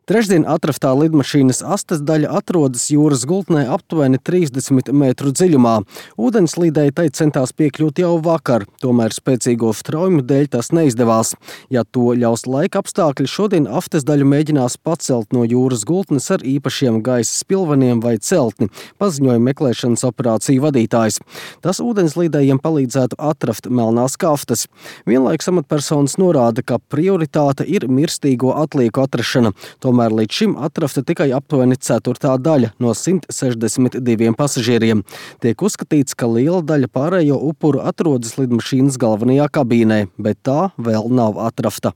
Trešdien atraftā lidmašīnas astes daļa atrodas jūras gultnē aptuveni 30 metru dziļumā. Ūdenslīdēji tai centās piekļūt jau vakar, tomēr spēcīgo straujumu dēļ tas neizdevās. Ja to ļaus laika apstākļi, šodien astes daļu mēģinās pacelt no jūras gultnes ar īpašiem gaisa spilveniem vai celtni, paziņoja meklēšanas operāciju vadītājs. Tas ūdenslīdējiem palīdzētu atraft melnās kaftas. Vienlaikus amatpersonas norāda, ka prioritāte ir mirstīgo atlieku atrašana. Tomēr līdz šim atrasta tikai aptuveni ceturtā daļa no 162 pasažieriem. Tiek uzskatīts, ka liela daļa pārējo upuru atrodas lidmašīnas galvenajā kabīnē, bet tā vēl nav atrasta.